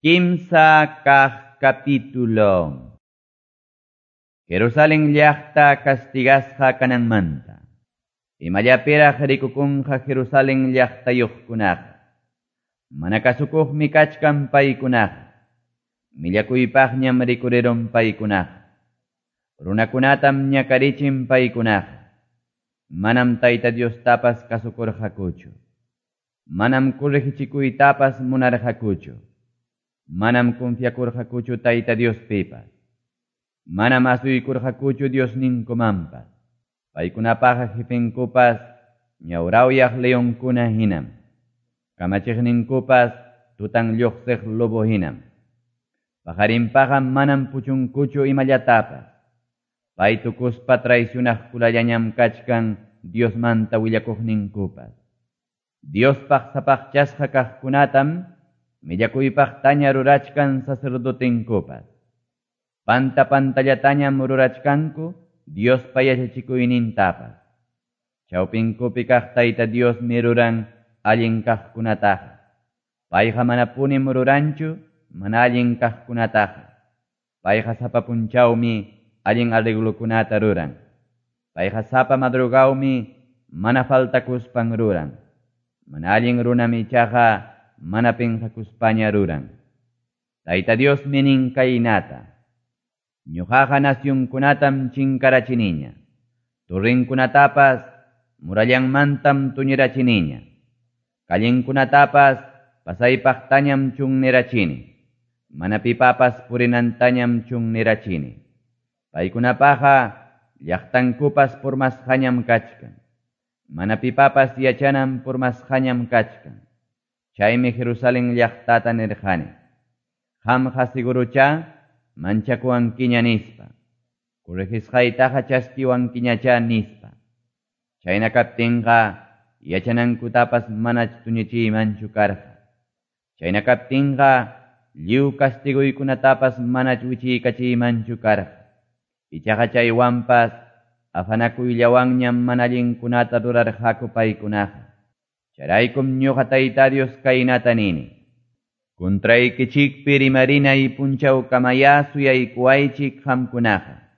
Kimsa kaq capítulo. Jerusalén llaqta castigasqa kananmanta. Imallapiraq rikukunqa Jerusalén llaqtayuqkunaqa. Mana kasukuqmi kachkan paykunaqa. Millakuypaqñam rikurirun paykunaqa. Runakunatam ñakarichin paykunaqa. Manam Tayta Diostapas kasukurqakuchu. Manam corregichikuytapas munarqakuchu. Manam confiakurqakuchu Tayta Diospipas. Manam asuykurqakuchu Diosninkumanpas. Paykunapaqa jefenkupas ñawrawyaq leonkuna hinam. Kamachiqninkupas tutan lluqsiq lobo hinam. Paqarinpaqa manam puchunkuchu imallatapas. Pay tukuspa traicionaqkulallañam kachkan Diosmanta willakuqninkupas. Diospaq sapaqchasqa kaqkunatam millakuypaqtaña rurachkan sacerdotenkupas. Panta pantallatañam rurachkanku Diospa yachachikuynintapas. Chawpinkupi kaq Tayta Diosmi ruran allin kaqkunataqa. Payqa manapunim ruranchu mana allin kaqkunataqa. Payqa sapa punchawmi allin arreglokunata ruran. Payqa sapa madrugawmi mana faltakuspan ruran. Mana allin runam ichaqa mana pinqakuspaña ruran. Tayta Diosmi nin kaynata. Ñuqaqa nacionkunatam chinkarachiniña. Torrenkunatapas murallanmantam tuñirachiniña. Callenkunatapas pasaypaqtañam chunnirachini. Mana pipapas purinantañam chunnirachini. Paykunapaqa llaqtankupas purmasqañam kachkan. Mana pipapas yachanam purmasqañam kachkan. Chaymi Jerusalén llaqtata nirqani. Qamqa sigurucha manchakuwankiña nispa. Corregisqaytaqa chaskiwankiñacha nispa. Chayna kaptinqa yachanankutapas manach tuñichiymanchu karqa. Chayna kaptinqa lliw castiguykunatapas manach wichiykachiymanchu karqa. Ichaqa chaywanpas afanakuyllawanñam mana allinkunata rurarqaku paykunaqa. Chayraykum ñuqa Tayta Dios kaynata nini. Contraykichikpi rimarinay punchawkamaya suyaykuwaychik qamkunaqa.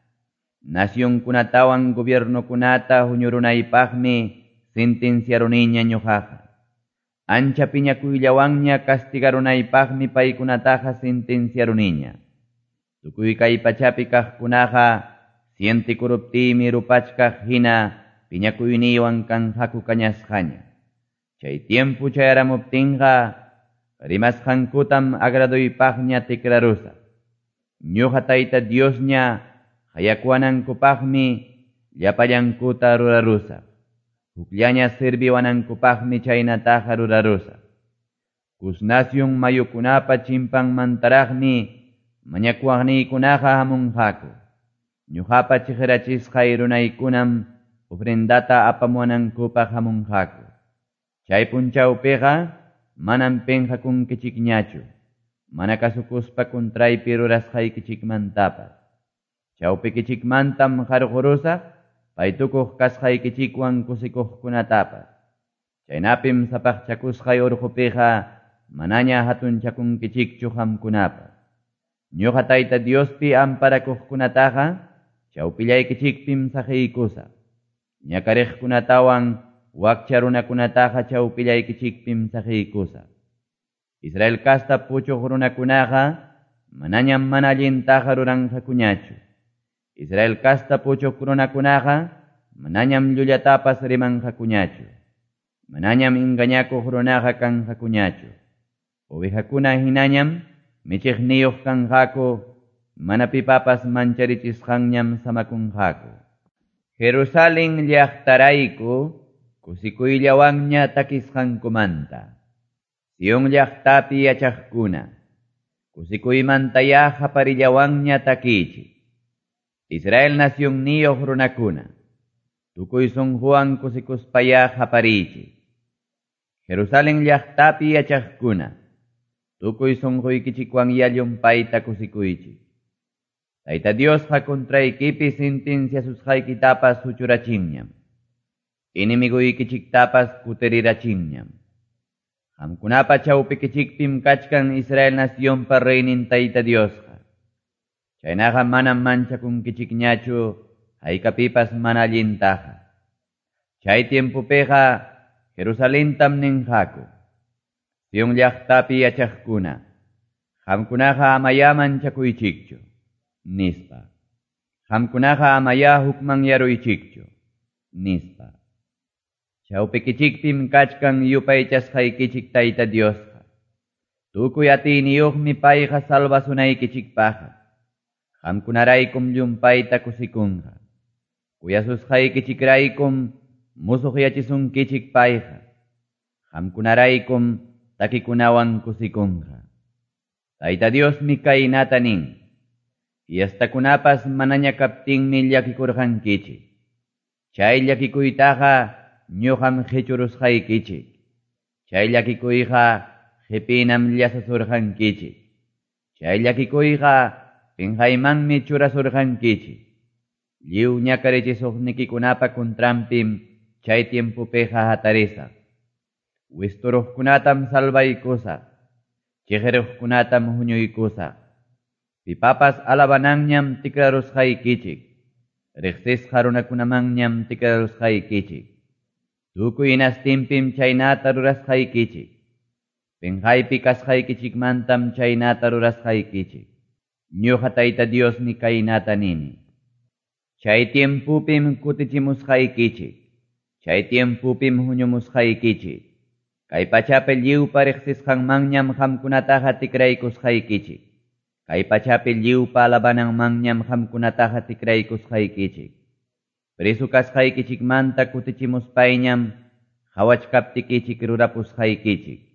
Nacionkunatawan gobiernokunata huñurunaypaqmi sentenciaruniña ñuqaqa. Ancha piñakuyllawanña castigarunaypaqmi paykunataqa sentenciaruniña. Tukuy kay pachapi kaqkunaqa sientikuruptiymi rupachkaq hina piñakuyniywan kanqaku kañasqaña. Chay tiempo chayaramuptinqa rimasqankutam agraduypaqña tikrarusaq. Ñuqa Tayta Diosña hayakuwanankupaqmi llapallankuta rurarusaq. Hukllaña sirviwanankupaqmi chaynataqa rurarusaq. Cus nación mayukunapa chimpanmantaraqmi mañakuwaqniykunaqa hamunqaku. Ñuqapa chiqirachisqay runaykunam ofrendata apamuwanankupaq hamunqaku. Chay punchawpiqa manam pinqakunkichikñachu, mana kasukuspa contraypi rurasqaykichikmantapas. Chawpikichikmantam qarqurusaq, paytukuq kasqaykichikwan kusikuqkunatapas. Chaynapim sapaqchakusqay urqupiqa manaña hatunchakunkichikchu qamkunapas. Ñuqa Tayta Diospi amparakuqkunataqa chawpillaykichikpim saqiykusaq. Ñakariqkunatawan wakcha runakunataqa chawpillaykichikpim saqiykusaq. Israel kasta puchuq runakunaqa manañam mana allintaqa ruranqakuñachu. Israel kasta puchuq runakunaqa manañam llullatapas rimanqakuñachu. Manañam engañakuq runaqa kanqakuñachu. Ovejakuna hinañam michiqniyuq kanqaku, mana pipapas mancharichisqanñam samakunqaku. Jerusalén llaqtarayku kusikuyllawanña takisqankumanta. Sion llaqtapi yachaqkuna, kusikuymantaya qaparillawanña takichik. Israel nacionniyuq runakuna, tukuy sunquwan kusikuspaya qapariychik. Jerusalén llaqtapi yachaqkuna, tukuy sunquykichikwan llumpayta kusikuychik. Tayta Diosqa contraykipi sentenciasusqaykitapas huchurachinñam. Enemiguykichiktapas kutirirachinñam. Qamkunapa chawpikichikpim kachkan Israel nacionpa reynin Tayta Diosqa. Chaynaqa manam manchakunkichikñachu haykapipas mana allintaqa. Chay tiempopiqa Jerusalentam ninqaku. Sion llaqtapi yachaqkuna, qamkunaqa amayá manchakuychikchu, nispa. Qamkunaqa amayá hukmanyaruychikchu, nispa. Chawpikichikpim kachkan yupaychasqaykichik Tayta Diosqa. Tukuy atiyniyuqmi payqa salvasunaykichikpaqqa. Qamkunaraykum llumpayta kusikunqa. Kuyasusqaykichikraykum musuqyachisunkichik payqa. Qamkunaraykum takikunawan kusikunqa. Tayta Diosmi kaynata nin. Fiestakunapas manaña kaptinmi llakikurqankichik. Chay llakikuytaqa ñuqam qichurusqaykichik. Chay llakikuyqa qipinam llasasurqankichik. Chay llakikuyqa pinqaymanmi churasurqankichik. Lliw ñakarichisuqnikikunapa contranpim chay tiempopiqa hatarisaq. Wisturuqkunatam salvaykusaq. Chiqiruqkunatam huñuykusaq. Pipapas alabananñam tikrarusqaykichik. Riqsisqa runakunamanñam tikrarusqaykichik. Tukuy hinastinpim chaynata rurasqaykichik. Pinqaypi kasqaykichikmantam chaynata rurasqaykichik. Ñuqa Tayta Diosmi kaynata nini. Chay tiempopim kutichimusqaykichik. Chay tiempopim huñumusqaykichik. Kay pachapi lliwpa riqsisqanmanñam qamkunataqa tikraykusqaykichik. Kay pachapi lliwpa alabananmanñam qamkunataqa tikraykusqaykichik. Preso kasqaykichikmanta kutichimuspayñam qhawachkaptikichik rurapusqaykichik.